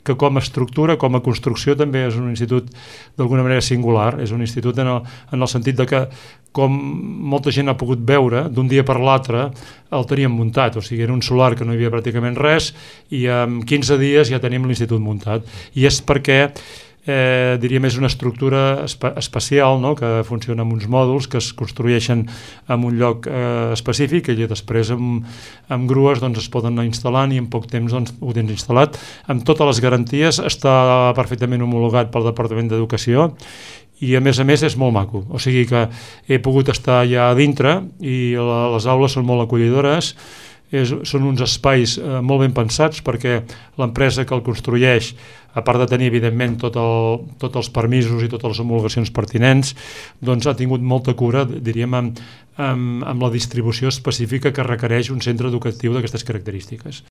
que com a estructura, com a construcció, també és un institut d'alguna manera singular. És un institut en el sentit de que, com molta gent ha pogut veure, d'un dia per l'altre el teníem muntat. O sigui, era un solar que no hi havia pràcticament res i en 15 dies ja tenim l'institut muntat. I és perquè diríem és una estructura especial, no? Que funciona amb uns mòduls que es construeixen en un lloc específic i després amb grues doncs, es poden anar instal·lant i en poc temps doncs, ho tens instal·lat amb totes les garanties, està perfectament homologat pel Departament d'Educació i a més és molt maco, o sigui que he pogut estar allà a dintre i les aules són molt acollidores. Són uns espais molt ben pensats perquè l'empresa que el construeix, a part de tenir evidentment tots els permisos i totes les homologacions pertinents, doncs ha tingut molta cura, diríem, amb la distribució específica que requereix un centre educatiu d'aquestes característiques.